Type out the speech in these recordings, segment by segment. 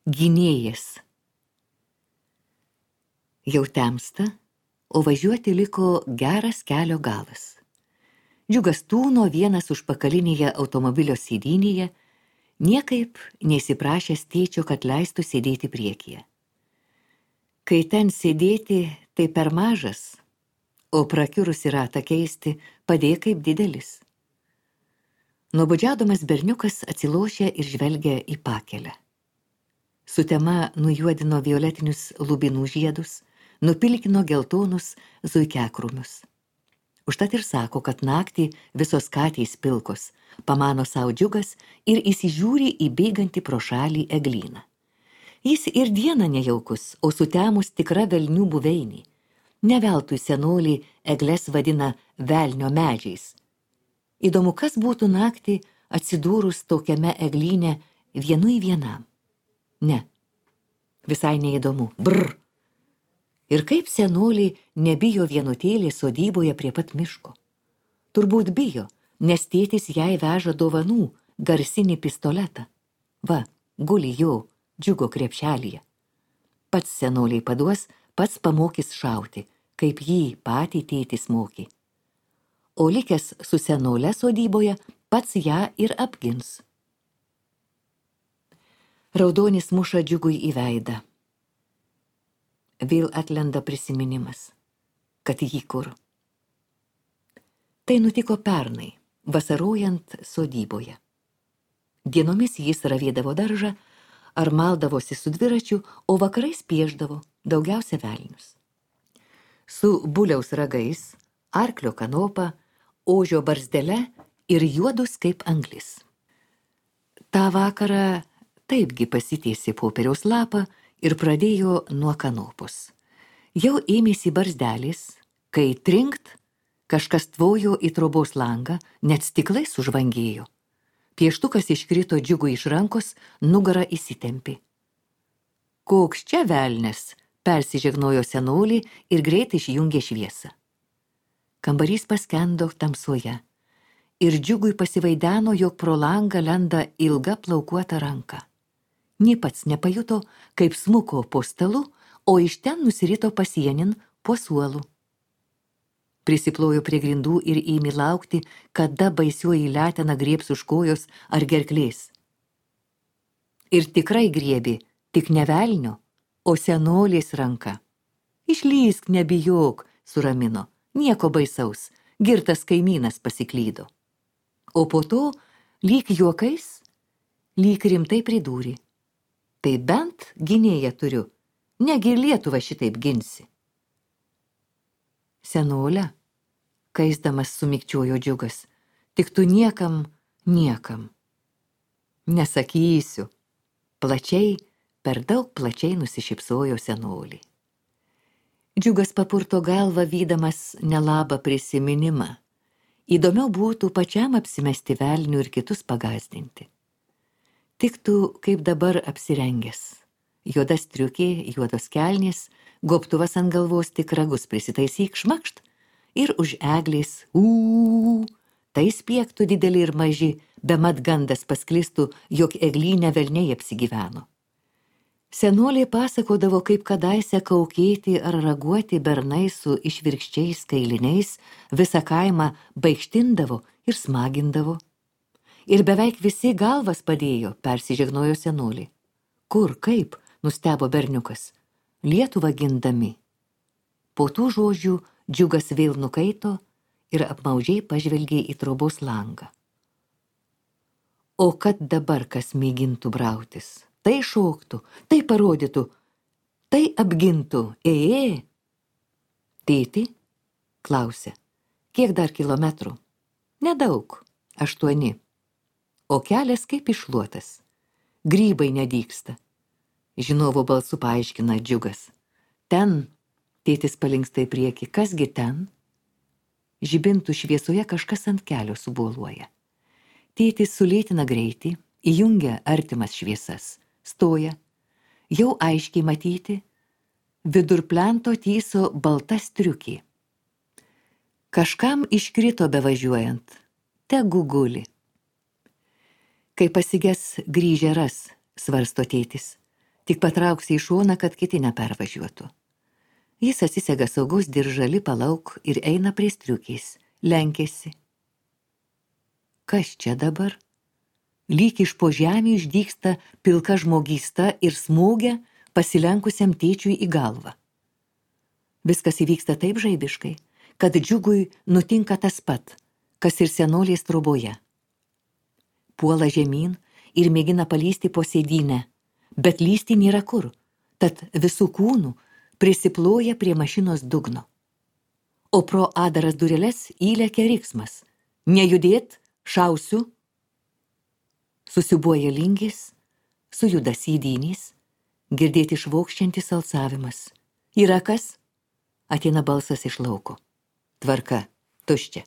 Gynėjas. Jau temsta, o važiuoti liko geras kelio galas. Džiugas tūno vienas užpakalinėje automobilio sėdynėje, niekaip neįsiprašęs tėčio, kad leistų sėdėti priekyje. Kai ten sėdėti, tai per mažas, o prakiurusi ratą keisti padėjo kaip didelis. Nuobodžiaudamas berniukas atsilošė ir žvelgė į pakelę. Sutema nujuodino violetinius lubinų žiedus, nupilkino geltonus zuikiakrūmius. Užtat ir sako, kad naktį visos katės pilkos, pamano savo Džiugas ir įsižiūri į bėgantį pro šalį eglyną. Jis ir dieną nejaukus, o sutemus tikra velnių buveinį. Ne veltui senolį egles vadina velnio medžiais. Įdomu, kas būtų naktį atsidūrus tokiame eglyne vienu į vienam. Ne, visai neįdomu. Brr. Ir kaip senolį nebijo vienutėlė sodyboje prie pat miško. Turbūt bijo, nes tėtis jai veža dovanų, garsinį pistoletą. Va, guli jo Džiugo krepšelyje. Pats senoliai paduos, pats pamokys šauti, kaip jį patį tėtis mokė. O likęs su senole sodyboje, pats ją ir apgins. Raudonis muša Džiugui į veidą. Vėl atlenda prisiminimas, kad jį kur. Tai nutiko pernai, vasarojant sodyboje. Dienomis jis ravėdavo daržą ar maldavosi su dviračiu, o vakarais pieždavo, daugiausia velnius. Su buliaus ragais, arklio kanopa, ožio barzdele ir juodus kaip anglis. Ta vakarą taipgi pasitiesė popieriaus lapą ir pradėjo nuo kanopos. Jau ėmėsi barzdelis, kai trinkt, kažkas tvojo į trobos langą, net stiklai sužvangėjo. Pieštukas iškrito Džiugui iš rankos, nugarą įsitempė. Koks čia velnes, persižegnojo senolį ir greitai išjungė šviesą. Kambarys paskendo tamsoje ir Džiugui pasivaideno, jog pro langą lenda ilga plaukuota ranka. Nė pats nepajuto, kaip smuko po stalu, o iš ten nusirito pasienin po suolu. Prisiplojo prie grindų ir ėmė laukti, kada baisioji letena griebs už kojos ar gerklės. Ir tikrai griebė, tik ne velnio, o senolės ranka. Išlįsk, nebijok, suramino, nieko baisaus, girtas kaimynas pasiklydo. O po to, lyg juokais, lyg rimtai pridūrė. Tai bent gynėją turiu, negi Lietuvą šitaip ginsi. Senolė, kaisdamas sumikčiojo Džiugas, tik tu niekam. Nesakysiu. Plačiai, per daug plačiai nusišypsojo senolį. Džiugas papurto galvą, vydamas nelabą prisiminimą. Įdomiau būtų pačiam apsimesti velnių ir kitus pagazdinti. Tiktų, kaip dabar apsirengęs. Juoda striukė, juodos kelnės, gobtuvas ant galvos, tik ragus prisitaisyk, šmakšt, ir už eglės, tai spiegtų dideli ir maži, bemat gandas pasklistų, jog eglyne velniai apsigyveno. Senolė pasakodavo, kaip kadaise kaukėti ar raguoti bernai su išvirkščiais kailiniais visą kaimą baikštindavo ir smagindavo. Ir beveik visi galvas padėjo, persižegnojo senolė. Kur, kaip, nustebo berniukas, Lietuvą gindami. Po tų žodžių Džiugas vėl nukaito ir apmaudžiai pažvelgė į trobos langą. O kad dabar kas mėgintų brautis, tai šoktų, tai parodytų, tai apgintų, Tėti, klausė, kiek dar kilometrų? Nedaug, 8. O kelias kaip iššluotas, grybai nedygsta. Žinovo balsu paaiškina Džiugas. Ten, tėtis palinksta į priekį, kasgi ten? Žibintų šviesoje kažkas ant kelio suboluoja. Tėtis sulėtina greitį, įjungia artimas šviesas, stoja, jau aiškiai matyti, vidur plento tyso balta striukė. Kažkam iškrito bevažiuojant, tegu guli. Kai pasiges grįžę ras, svarsto tėtis, Tik patrauksi į šoną, kad kiti nepervažiuotų. Jis atsisega saugaus diržalį palauk ir eina prie striukės, lenkėsi. Kas čia dabar? Lyg iš po žemį išdygsta pilka žmogysta ir smūgia pasilenkusiam tėčiui į galvą. Viskas įvyksta taip žaibiškai, kad Džiugui nutinka tas pat, kas ir senolės troboje. Puola žemyn ir mėgina palysti po sėdynę, bet lysti nėra kur, tad visų kūnų prisiploja prie mašinos dugno. O pro adaras dureles įlekia riksmas. Nejudėt, šausiu. Susibuoja lingis, sujuda sėdynys, girdėti švokščiantis alsavimas. Yra kas? Ateina balsas iš lauko. Tvarka, tuščia.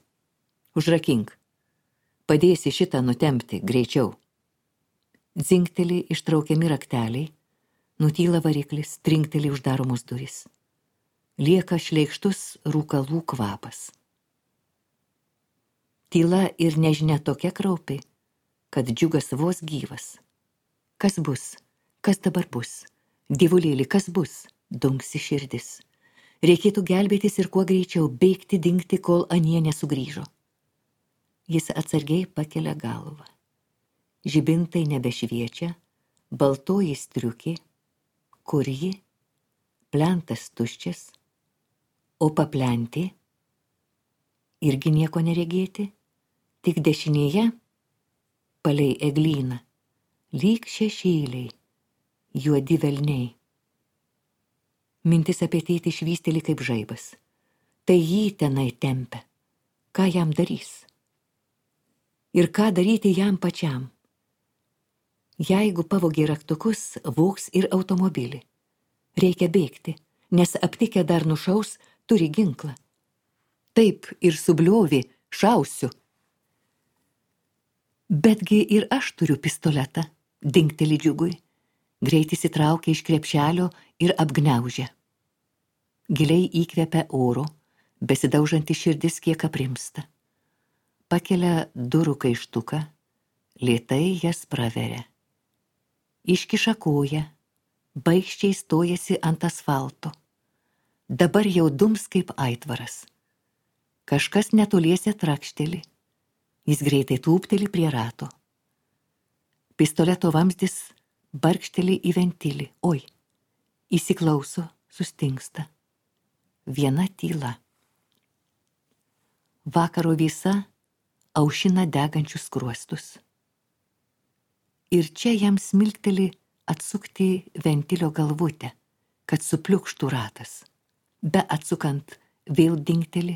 Užrakink. Padėsi šitą nutempti greičiau. Dzingteli ištraukiami rakteliai, nutyla variklis, trinkteli uždaromos durys. Lieka šleikštus rūkalų kvapas. Tyla ir nežinia tokia kraupi, kad Džiugas vos gyvas. Kas bus? Kas dabar bus? Dievulėli, kas bus? Dunksi širdis. Reikėtų gelbėtis ir kuo greičiau bėgti, dingti, kol anie nesugrįžo. Jis atsargiai pakelia galvą. Žibintai nebešviečia, baltoji striukė, kur ji, plentas tuščias, o paplentė, irgi nieko neregėti, tik dešinėje, palei eglyną, lyg šešėliai, juodi velniai. Mintis apie tėtį švysteli kaip žaibas. Tai jį tenai tempia. Ką jam darys? Ir ką daryti jam pačiam? Jeigu pavogė raktukus, vogs ir automobilį. Reikia bėgti, nes aptikę dar nušaus, turi ginklą. Taip ir subliovė, šausiu. Betgi ir aš turiu pistoletą, dingteli Džiugui. Greit įsitraukia iš krepšelio ir apgniaužia. Giliai įkvepia oro, besidaužanti širdis kiek aprimsta. Pakelia durų kaištuką, lėtai jas praveria. Iškiša koją, baikščiai stojasi ant asfalto. Dabar jau dums kaip aitvaras. Kažkas netoliese trakšteli. Jis greitai tūpteli prie rato. Pistoleto vamzdis barkšteli į ventilį. Oi, įsiklauso, sustingsta. Viena tyla. Vakaro visa aušina degančius skruostus. Ir čia jam smilkteli atsukti ventilio galvutę, kad supliukštų ratas. Be atsukant vėl dingteli.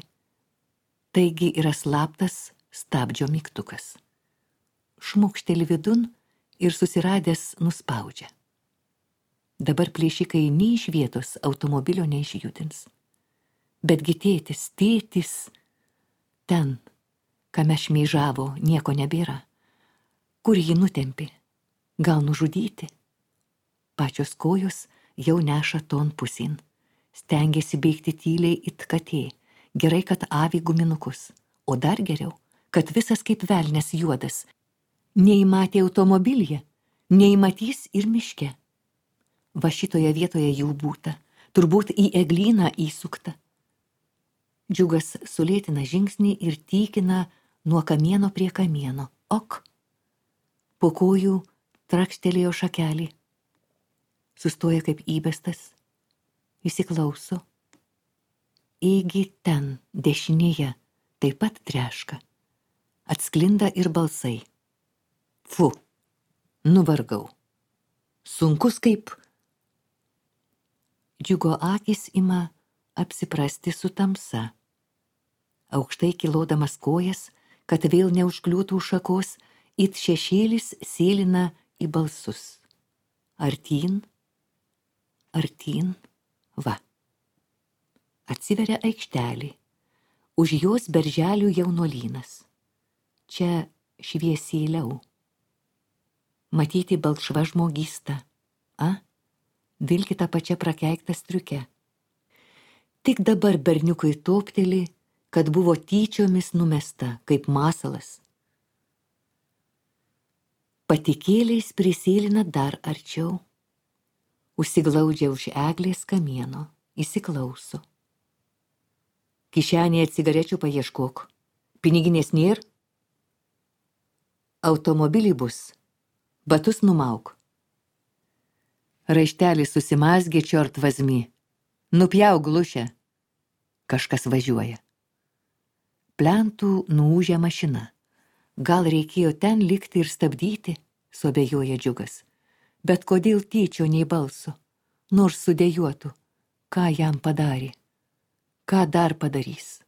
Taigi yra slaptas stabdžio mygtukas. Šmukšteli vidun ir susiradęs nuspaudžia. Dabar plėšikai nei iš vietos automobilio neišjudins. Betgi tėtis, ten, kame šmeižavo, nieko nebėra. Kur jį nutempė? Gal nužudyti? Pačios kojos jau neša ton pusin. Stengiasi bėgti tyliai it katė. Gerai, kad avi guminukus. O dar geriau, kad visas kaip velnias juodas. Nei matė automobilyje, nei matys ir miške. Va šitoje vietoje jų būta, turbūt į eglyną įsukta. Džiugas sulėtina žingsnį ir tykina nuo kamieno prie kamieno. Ok. Po kojų trakštelėjo šakelį. Sustoja kaip įbestas. Įsiklauso. Ėgi ten, dešinėje, taip pat treška. Atsklinda ir balsai. Fu, nuvargau. Sunkus kaip... Džiugo akis ima apsiprasti su tamsa. Aukštai kilodamas kojas, kad vėl neužkliūtų šakos, it šešėlis sėlina į balsus. Artyn, artyn, va. Atsiveria aikštelė. Už jos berželių jaunuolynas. Čia šviesėliau. Matyti balkšva žmogysta. Vilki tą pačią prakeiktą striukę. Tik dabar berniukui topteli, kad buvo tyčiomis numesta, kaip masalas. Patikėliais prisėlina dar arčiau. Užsiglaudžia už eglės kamieno, įsiklauso. Kišenėje cigarečių paieškok. Piniginės nėr? Automobilį bus. Batus numauk. Raištelis susimazgė čiort vazmi. Nupjauk glušę. Kažkas važiuoja. Plentų nuūžia mašina. Gal reikėjo ten likti ir stabdyti, suabejoja Džiugas. Bet kodėl tyčio nei balso, nors sudėjuotų, ką jam padarė, ką dar padarys.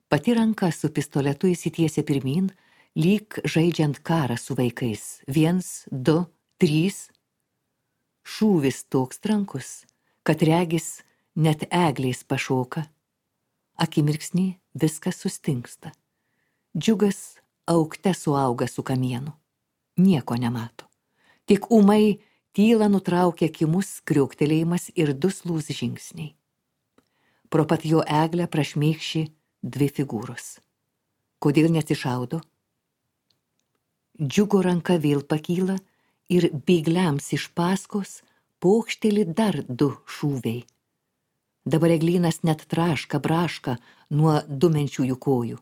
Pati ranka su pistoletu įsitiesia pirmin, lyg žaidžiant karą su vaikais. 1, 2, 3. Šūvis toks trankus, kad regis net eglės pašoka. Akimirksnį viskas sustingsta. Džiugas aukte suauga su kamienu. Nieko nemato. Tik ūmai tylą nutraukia kimus kriuktelėjimas ir duslūs žingsniai. Pro pat jo eglę prašmėkši 2 figūros. Kodėl nesišaudo? Džiugo ranka vėl pakyla ir bėgliams iš paskos pokšteli dar 2 šūviai. Dabar eglynas net traška, braška nuo dumenčiųjų kojų.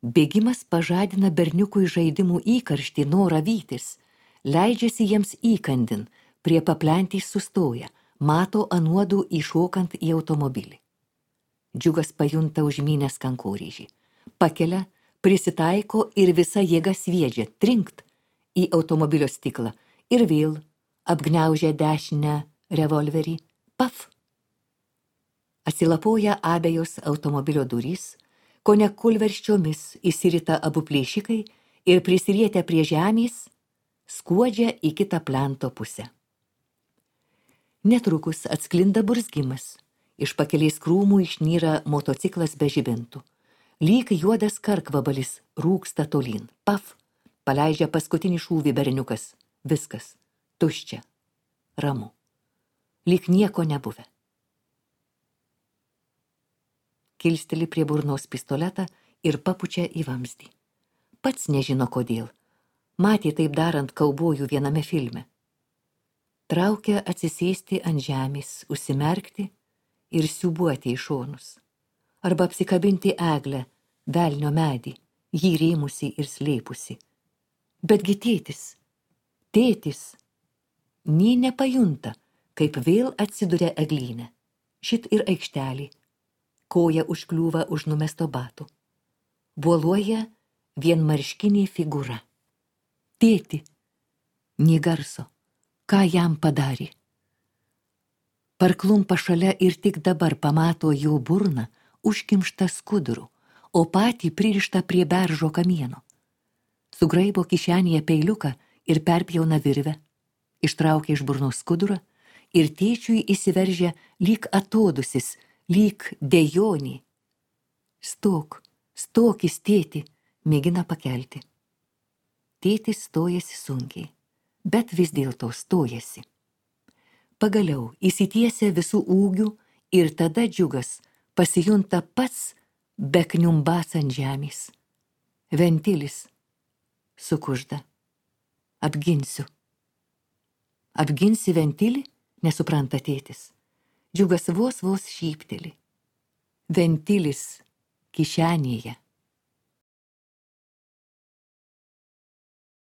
Bėgimas pažadina berniukui žaidimų įkarštį, norą vytis. Leidžiasi jiems įkandin, prie paplentys sustoja, mato anuodų įšokant į automobilį. Džiugas pajunta užmynęs kankorėžį. Pakelia, prisitaiko ir visa jėga sviedžia, trinkt į automobilio stiklą ir vėl apgniaužia dešinę revolverį. Paf! Atsilapoja abejos automobilio durys, kone kulverščiomis įsirita abu plėšikai ir prisirietę prie žemės skuodžia į kitą plento pusę. Netrukus atsklinda burzgimas. Iš pakelės krūmų išnyra motociklas be žibintų. Lyg juodas karkvabalis rūksta tolyn. Paf! Paleidžia paskutinį šūvį berniukas. Viskas. Tuščia. Ramu. Lyg nieko nebuvę. Kilsteli prie burnos pistoletą ir papučia į vamzdį. Pats nežino kodėl. Matė taip darant kaubojų viename filme. Traukia atsisėsti ant žemės, užsimerkti ir siūbuoti į šonus. Arba apsikabinti eglę, velnio medį, jį rėmusi ir slėpusi. Betgi tėtis, nė nepajunta, kaip vėl atsiduria eglyne. Šit ir aikštelį, koja užkliūva už numesto batų. Buoluoja vienmarškinė figūra. Tėti, nė garso, ką jam padarė. Parklumpa šalia ir tik dabar pamato jo burną užkimštą skuduru, o patį pririštą prie beržo kamieno. Sugraibo kišenėje peiliuką ir perpjauna virvę, ištraukia iš burnos skudurą ir tėčiui įsiveržia lyg atodusis, lyg dejonė. Stokis, tėti, mėgina pakelti. Tėtis stojasi sunkiai, bet vis dėlto stojasi. Pagaliau įsitiesia visų ūgių ir tada Džiugas pasijunta pats bekniumbas ant žemės. Ventilis. Sukužda. Apginsiu. Apginsi ventilį, nesupranta tėtis. Džiugas vos šypteli. Ventilis kišenėje.